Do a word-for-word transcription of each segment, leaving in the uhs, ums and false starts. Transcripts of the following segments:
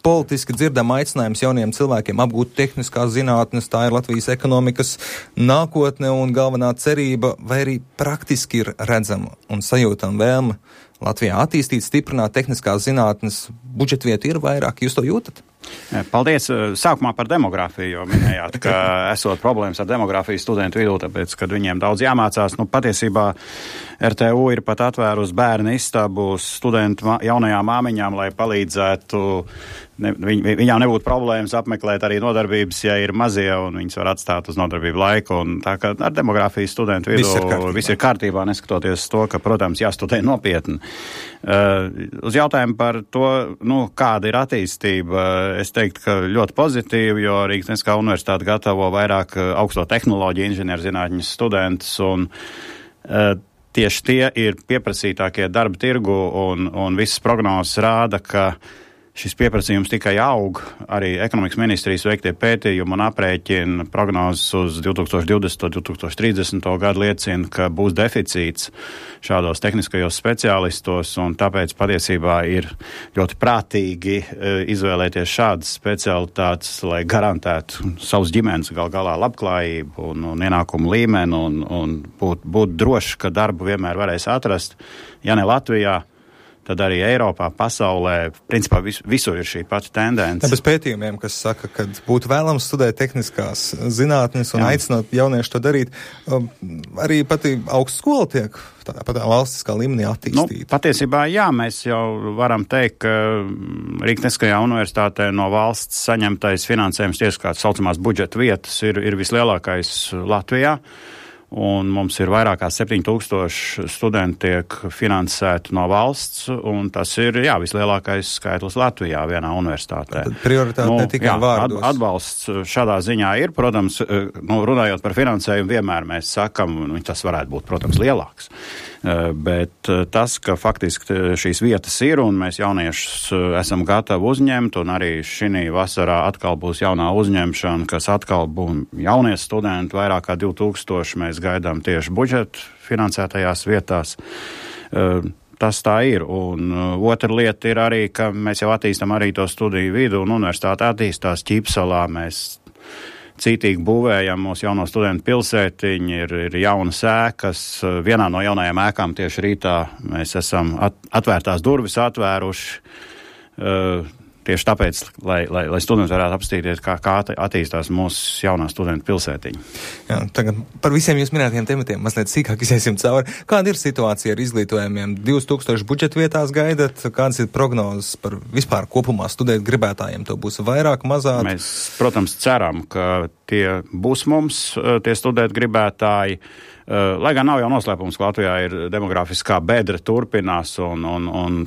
politiski dzirdam aicinājums jauniem cilvēkiem apgūt tehniskās zinātnes, tā ir Latvijas ekonomikas nākotne un galvenā cerība, vai arī praktiski ir redzama un sajūtama vēlme Latvijā attīstīt, stiprināt tehniskās zinātnes, budžetvietu ir vairāk, jūs to jūtat? Paldies. Sākumā par demografiju, jo minējāt, ka esot problēmas ar demografiju studentu vidū, tāpēc, kad viņiem daudz jāmācās. Nu, patiesībā R T U ir pat atvērusi bērnu istabu studentu jaunajām māmiņām, lai palīdzētu, ne, viņ, viņām nebūtu problēmas apmeklēt arī nodarbības, ja ir mazie, un viņas var atstāt uz nodarbību laiku. Un tā kā ar demografiju studentu vidū viss ir kārtībā, viss ir kārtībā neskatoties to, ka, protams, jāstudē nopietni. Uh, uz jautājumu par to, nu, kāda ir attīstība, es teiktu, ka ļoti pozitīvi, jo Rīgas Tehniskā universitāte gatavo vairāk augsto tehnoloģiju inženierzinātņu studentus, un uh, tieši tie ir pieprasītākie darba tirgu, un, un visas prognozes rāda, ka šis pieprasījums tikai aug. Arī ekonomikas ministrijas veiktie pētījumi un aprēķina prognozes uz divtūkstoš divdesmito un divtūkstoš trīsdesmito gadu liecina, ka būs deficīts šādos tehniskajos speciālistos, un tāpēc patiesībā ir ļoti prātīgi izvēlēties šādas specialitātes, lai garantētu savus ģimenes gal galā labklājību un, un ienākumu līmeni, un, un būt, būt droši, ka darbu vienmēr varēs atrast, ja ne Latvijā, tad arī Eiropā, pasaulē, principā vis, visur ir šī pati tendence. Bez pētījumiem, kas saka, ka būtu vēlams studēt tehniskās zinātnes un Jā. aicināt jauniešu to darīt, um, arī pati augstskola tiek tādā patā valstiskā līmenī attīstīta. Nu, patiesībā jā, mēs jau varam teikt, ka Rīgas Tehniskajā universitātē no valsts saņemtais finansējums tieši kā saucamās budžeta vietas ir, ir vislielākais Latvijā. Un mums ir vairāk kā septiņi tūkstoši studenti tiek finansēti no valsts, un tas ir, jā, vislielākais skaitlis Latvijā vienā universitātē. Tad prioritāte nu, ne tikai jā, vārdos. Ad, atbalsts šādā ziņā ir, protams, nu, runājot par finansējumu, vienmēr mēs sakam, nu, tas varētu būt, protams, lielāks. Bet tas, ka faktiski šīs vietas ir, un mēs jauniešus esam gatavi uzņemt, un arī šī vasarā atkal būs jaunā uzņemšana, kas atkal būs jaunie studenti, vairāk kā divi tūkstoši mēs gaidām tieši budžeta finansētajās vietās. Tas tā ir. Un otra lieta ir arī, ka mēs jau attīstam arī to studiju vidu, un universitāte attīstās Ķīpsalā. Mēs cītīgi būvējam mūsu jauno studentu pilsētiņu, ir, ir jaunas ēkas. Vienā no jaunajām ēkām tieši rītā mēs esam at, atvērtās durvis atvēruši. Uh, Tieši tāpēc, lai, lai, lai studenti varētu apstīties, kā, kā attīstās mūsu jaunā studentu pilsētiņa. Jā, tagad par visiem jūs minētiem tematiem mazliet sīkāk iziesim cauri. Kāda ir situācija ar izglītojumiem? divas tūkstoši budžeta vietās gaidat? Kādas ir prognozes par vispār kopumā studēt gribētājiem? To būs vairāk, mazāk? Mēs, protams, ceram, ka tie būs mums, tie studēt gribētāji. Lai gan nav jau noslēpums, ka Latvijā ir demografiskā bedra turpinās un, un, un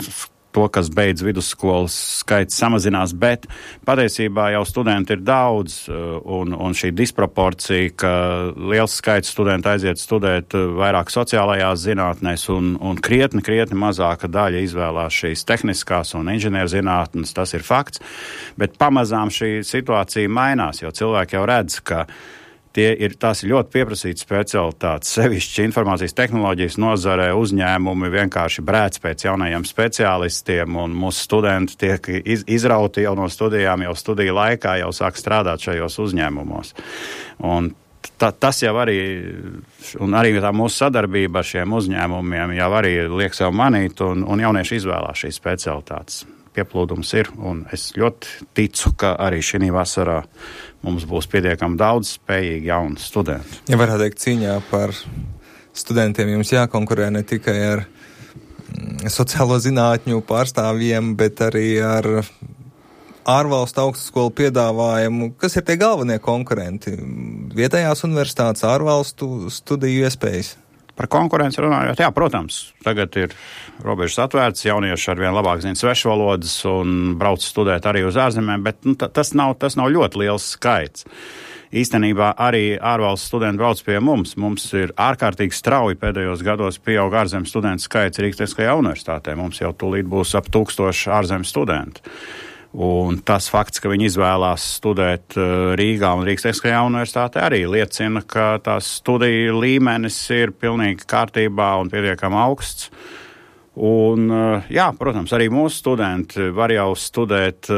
to, kas beidz vidusskolas skaits samazinās, bet patiesībā jau studenti ir daudz, un, un šī disproporcija, ka liels skaits studentu aiziet studēt vairāk sociālajās zinātnēs, un, un krietni, krietni mazāka daļa izvēlās šīs tehniskās un inženierzinātnes, tas ir fakts, bet pamazām šī situācija mainās, jo cilvēki jau redz, ka Tie ir, tās ir ļoti pieprasītas specialitātes, sevišķi informācijas tehnoloģijas nozarē uzņēmumi vienkārši brēc pēc jaunajiem speciālistiem, un mūsu studenti tiek iz, izrauti jau no studijām, jau studiju laikā, jau sāk strādāt šajos uzņēmumos. Un ta, tas jau arī, un arī tā mūsu sadarbība ar šiem uzņēmumiem jau arī liek sev manīt, un, un jaunieši izvēlās šīs specialitātes. Pieplūdums ir, un es ļoti ticu, ka arī šī vasarā mums būs pietiekami daudz spējīgi jaunu studentu. Ja varētu teikt, cīņā par studentiem jums jākonkurē ne tikai ar sociālo zinātņu pārstāvjiem, bet arī ar ārvalstu augstskolu piedāvājumu. Kas ir tie galvenie konkurenti? Vietējās universitātes, ārvalstu studiju iespējas? Par konkurenci runājot, jā, protams, tagad ir robežas atvērtas, jaunieši arvien labāk zina svešvalodas un brauc studēt arī uz ārzemēm, bet nu, tas, nav, tas nav ļoti liels skaits. Īstenībā arī ārvalstu studenti brauc pie mums. Mums ir ārkārtīgi strauji pēdējos gados pieaug ārzemju studentu skaits Rīgas Tehniskajā universitātē. Mums jau tūlīt būs ap tūkstoši ārzemju studentu. Un tas fakts, ka viņi izvēlās studēt Rīgā un Rīgas Tehniskajā universitātē, arī liecina, ka tās studiju līmenis ir pilnīgi kārtībā un pietiekami augsts. Un, jā, protams, arī mūsu studenti var jau studēt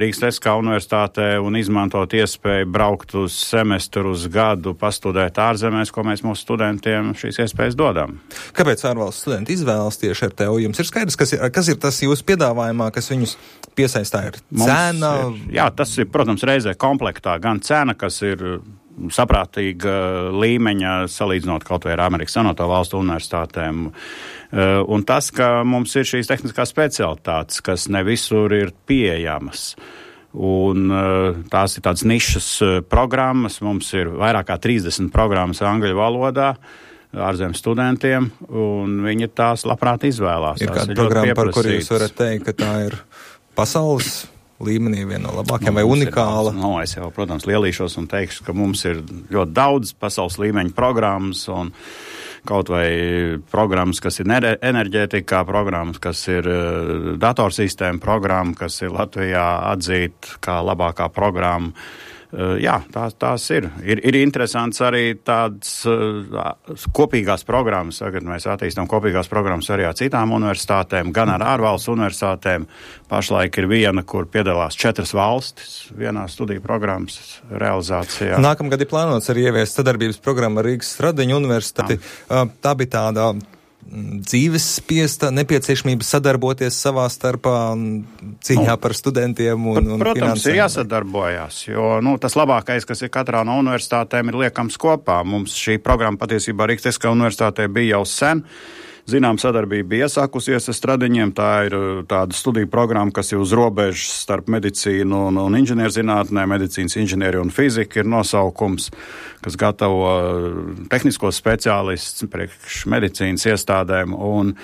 Rīgas Tehniskā universitātē un izmantot iespēju braukt uz semestru, uz gadu, pastudēt ārzemēs, ko mēs mūsu studentiem šīs iespējas dodam. Kāpēc ārvalstu studenti izvēlas tieši ar tevi? Jums ir skaidrs, kas ir, kas ir tas jūsu piedāvājumā, kas viņus piesaistā? Ir cena? Ir, jā, tas ir, protams, reizē komplektā. Gan cena, kas ir saprātīga līmeņa, salīdzinot kaut vai ar Amerikas Savienoto Valstu universitātēm. Un tas, ka mums ir šīs tehniskās specialitātes, kas ne visur ir pieejamas. Un tās ir tādas nišas programmas. Mums ir vairāk kā trīsdesmit programmas angļu valodā ārzemju studentiem, un viņi tās labprāt izvēlās. Ir kāda programma, par kuru jūs varat teikt, ka tā ir pasaules līmenī viena no labākajām, nu, vai unikāla? Ir, no, es jau, protams, lielīšos un teikšu, ka mums ir ļoti daudz pasaules līmeņa programmas un kaut vai programmas, kas ir enerģētikā, programmas, kas ir uh, datorsistēma programma, kas ir Latvijā atzīta kā labākā programma. Uh, jā, tās, tās ir. ir. Ir interesants arī tādas uh, kopīgās programmas. Tagad mēs attīstām kopīgās programmas arī ar citām universitātēm, gan ar ārvalstu universitātēm. Pašlaik ir viena, kur piedalās četras valstis vienā studiju programmas realizācijā. Nākamgad ir plānots arī ieviest sadarbības programmu ar Rīgas Stradiņu universitāti. Uh, tā bija tāda dzīves spiesta nepieciešamība sadarboties savā starpā cīņā nu, par studentiem un, un protams, finansēm. Protams, ir jāsadarbojās, jo nu, tas labākais, kas ir katrā no universitātēm, ir liekams kopā. Mums šī programma patiesībā Rīgas Tehniskā universitātē bija jau sen. Zinām, sadarbība bija iesākusies ar Stradiņiem. Tā ir tāda studiju programma, kas ir uz robežas starp medicīnu un, un inženierzinātnē. Medicīnas inženieri un fizika ir nosaukums, kas gatavo tehniskos speciālistus priekš medicīnas iestādēm. Un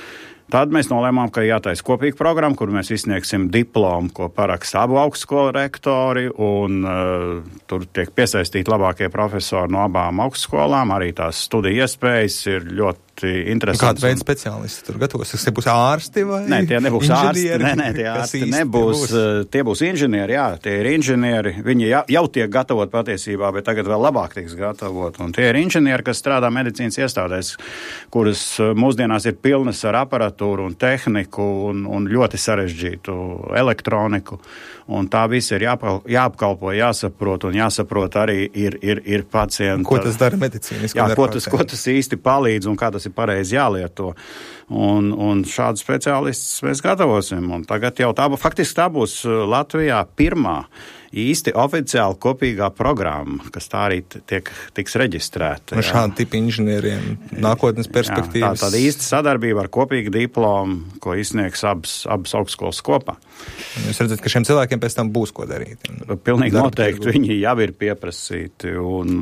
tad mēs nolēmām, ka jātaisa kopīga programma, kur mēs izsniegsim diplomu, ko paraksta abu augstskolu rektori, un uh, tur tiek piesaistīti labākie profesori no abām augstskolām. Arī tās studiju iespējas ir ļoti interesants. Kāda veida speciālisti tur gatavos? Tas būs ārsti vai nē, tie nebūs inženieri? Ārsti. Nē, nē, tie ārsti nebūs. Būs? Tie būs inženieri, jā, tie ir inženieri. Viņi jau, jau tiek gatavot patiesībā, bet tagad vēl labāk tiks gatavot. Un tie ir inženieri, kas strādā medicīnas iestādēs, kuras mūsdienās ir pilnas ar aparatūru un tehniku un, un ļoti sarežģītu elektroniku. Un tā viss ir jāpal, jāapkalpo, jāsaprot, un jāsaprot arī ir, ir, ir pacienta. Ko tas dara medicīniski? Jā, ko tas, ko tas īsti palīdz un kā tas ir pareizi jālieto. Un, un šādu speciālistus mēs gatavosim. Un tagad jau tā, faktiski tā būs Latvijā pirmā īsti oficiāli kopīgā programma, kas tā arī tiek, tiks reģistrēta. Un šādi tipi inženieriem nākotnes perspektīvas. Jā, tā tāda īsta sadarbība ar kopīgu diplomu, ko izsniegs abas, abas augstskolas kopā. Jūs redzat, ka šiem cilvēkiem pēc tam būs ko darīt. Pilnīgi noteikti. Viņi jau ir pieprasīti un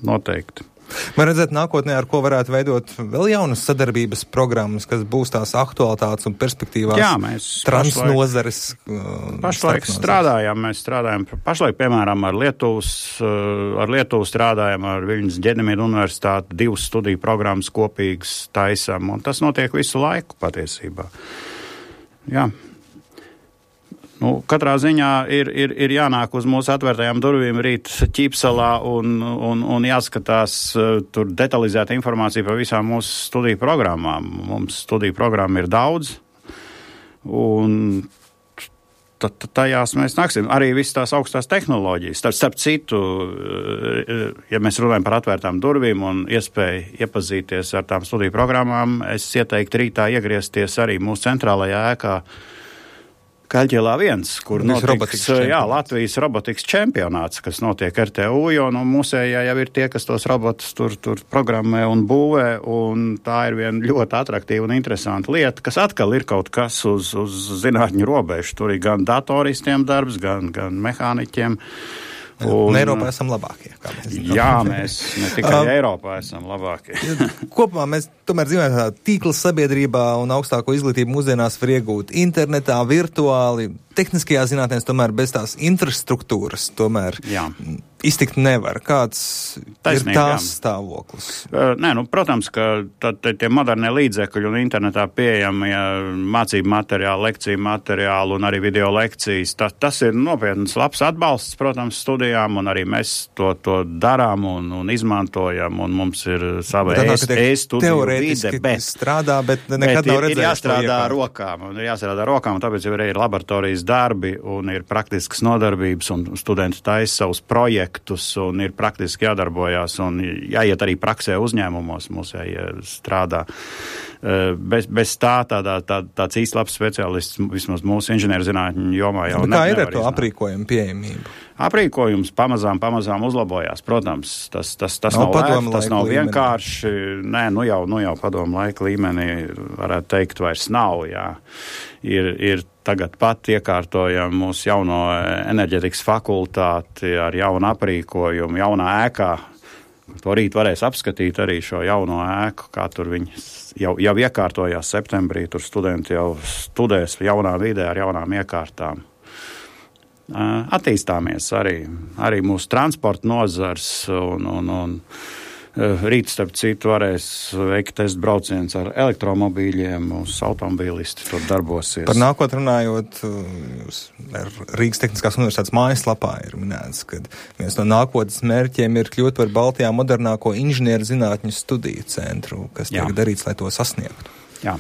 noteikti. Man redzēt nākotnē, ar ko varētu veidot vēl jaunas sadarbības programmas, kas būs tās aktualitātes un perspektīvās. Jā, mēs transnozares. Pašlaik, pašlaik strādājam, mēs strādājam, pašlaik, piemēram, ar Lietuvas, ar Lietuvu strādājam, ar Viļņas Ģenemīdu universitāti, divas studiju programmas kopīgas taisam, un tas notiek visu laiku patiesībā. Jā. Nu, katrā ziņā ir, ir, ir jānāk uz mūsu atvērtajām durvīm rīt Ķīpsalā un, un, un jāskatās uh, tur detalizēta informācija par visām mūsu studiju programmām. Mums studiju programma ir daudz, un t- t- tajās mēs nāksim. Arī visas tās augstās tehnoloģijas. Starp, starp citu, uh, ja mēs runājam par atvērtām durvīm un iespēju iepazīties ar tām studiju programmām, es ieteiktu rītā iegriezties arī mūsu centrālajā ēkā Kaļķielā viens, kur notiks jā, Latvijas robotikas čempionāts, kas notiek R T U, jo no mūsējā jau ir tie, kas tos robotus tur, tur programmē un būvē, un tā ir viena ļoti atraktīva un interesanta lieta, kas atkal ir kaut kas uz, uz zinātņu robežu. Tur ir gan datoristiem darbs, gan, gan mehāniķiem. Un Eiropā esam labākie. Kā mēs zinām. Jā, mēs ne tikai um, Eiropā esam labākie. Kopumā mēs tomēr dzīvojam tādā tīkla sabiedrībā un augstāko izglītību mūsdienās var iegūt internetā, virtuāli. Tehniskajā zinātnēs tomēr bez tās infrastruktūras tomēr. Jā. iztikt nevar. Kāds Taisnība, ir tās jā. stāvoklis? Uh, nē, nu, protams, ka tad, tie modernie līdzekļi un internetā pieejami ja, mācību materiāli, lekciju materiāli un arī video lekcijas. Ta, tas ir nopietns labs atbalsts, protams, studijām, un arī mēs to, to darām un, un izmantojam, un mums ir sava e-studiju vide, bet strādā, bet nekad bet nav ir, redzējuši ir jāstrādā to rokām, un ir jāstrādā rokām, un tāpēc jau arī ir laboratorijas darbi, un ir praktiskas nodarbības, un studenti taisa savus projektus, un ir praktiski jādarbojās, un jāiet arī praksē uzņēmumos, mums jāstrādā. Bez, bez tā, tādā, tā, tāds īsti labs speciālists, vismaz mūsu inženierzinātņu jomā jau ne, kā ir ar nevar to iznāt. aprīkojumu pieejamību? Aprīkojums pamazām, pamazām uzlabojās, protams, tas, tas, tas nav, nav lēti, tas nav vienkārši, nē, nu jau, nu jau padomu laika līmenī, varētu teikt, vairs nav, jā. Ir, ir tagad pat iekārtojam mūsu jauno enerģetikas fakultāti ar jaunu aprīkojumu, jaunā ēkā. To rīt varēs apskatīt arī šo jauno ēku, kā tur viņi jau, jau iekārtojās septembrī, tur studenti jau studēs jaunā vidē ar jaunām iekārtām. Attīstāmies arī, arī mūsu transporta nozars un, un, un rīt, starp citu, varēs veikt testu brauciens ar elektromobīļiem, mūsu automobīlisti tur darbosies. Par nākotnē runājot, ar Rīgas Tehniskās universitātes mājaslapā ir minēts, ka viens no nākotnes mērķiem ir kļūt par Baltijā modernāko inženieru zinātņu studiju centru, kas tiek darīts, lai to sasniegtu. Jā,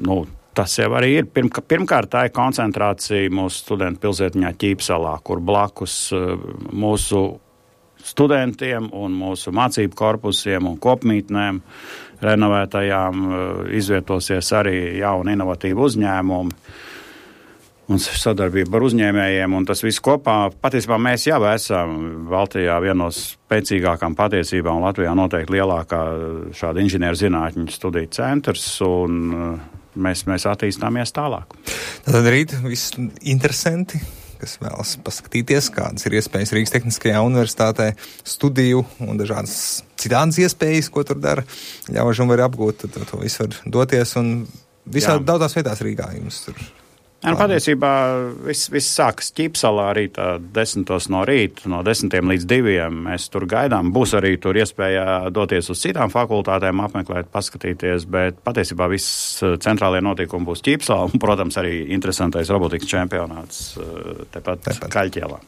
nu, tas jau arī ir. Pirmk- pirmkārt, tā ir koncentrācija mūsu studentu pilsētiņā Ķīpsalā, kur blakus mūsu studentiem un mūsu mācību korpusiem un kopmītnēm renovētajām izvietosies arī jauni inovatīvi uzņēmumi un sadarbība ar uzņēmējiem, un tas viss kopā, patiesībā mēs jau esam Baltijā vienos spēcīgākām patiesībām, un Latvijā noteikti lielākā šāda inženieru zinātņu studiju centrs, un mēs, mēs attīstāmies tālāk. Tad rīt viss interesanti, kas vēlas paskatīties, kādas ir iespējas Rīgas Tehniskajā universitātē, studiju un dažādas citādas iespējas, ko tur dara, ļauži un var apgūt, tad to visu var doties, un visā daudzās vietās Rīgā jums tur. Jā, nu, patiesībā viss, viss sākas Ķīpsalā rītā desmitos no rīta, no desmitiem līdz diviem. Mēs tur gaidām. Būs arī tur iespēja doties uz citām fakultātēm, apmeklēt, paskatīties, bet patiesībā viss centrālie notikumi būs Ķīpsalā un, protams, arī interesantais robotikas čempionāts tepat, tepat. Kaļķielā.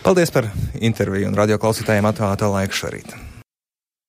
Paldies par interviju un radio klausītājiem atvēlēto laiku šorīt.